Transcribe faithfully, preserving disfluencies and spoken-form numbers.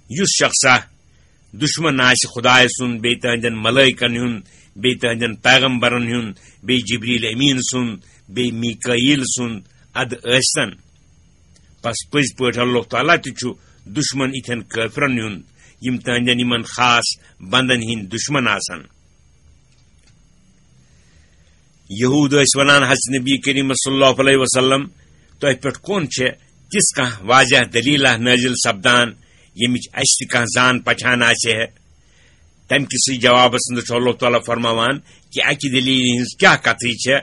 یُس شخصا دشمن آسہِ خدایہِ سُنٛد، بیٚیہِ تہنٛدٮ۪ن ملائکن ہُنٛد، بیٚیہِ تہنٛدٮ۪ن پیغمبرن ہُنٛد، بیٚیہِ جبریل امین سُنٛد، بیٚیہِ میکائیل سُنٛد، ادٕ ٲسۍتن۔ پس پٔزۍ پٲٹھۍ اللہ تعالیٰ تہِ چھُ دشمن یِتھٮ۪ن کٲفرن ہُنٛد، یِم تہنٛدٮ۪ن یِمن خاص بندن ہٕنٛدۍ دشمن آسن۔ یہود ٲسۍ ونان، حضرت نبی کریم صلی اللہ علیہ وسلم، تۄہہِ پٮ۪ٹھ کون چھےٚ تِژھ کانٛہہ واضح دلیلہ نٲزِل سپدان، ییٚمِچ اَسہِ تہِ کانٛہہ زان پہچان آسہِ ہے؟ تَمہِ کِسٕے جوابس اندر چھُ اللہ تعالیٰ فرماوان کہِ اَکہِ دلیلہِ ہٕنٛز کیٛاہ کتھٕے چھےٚ،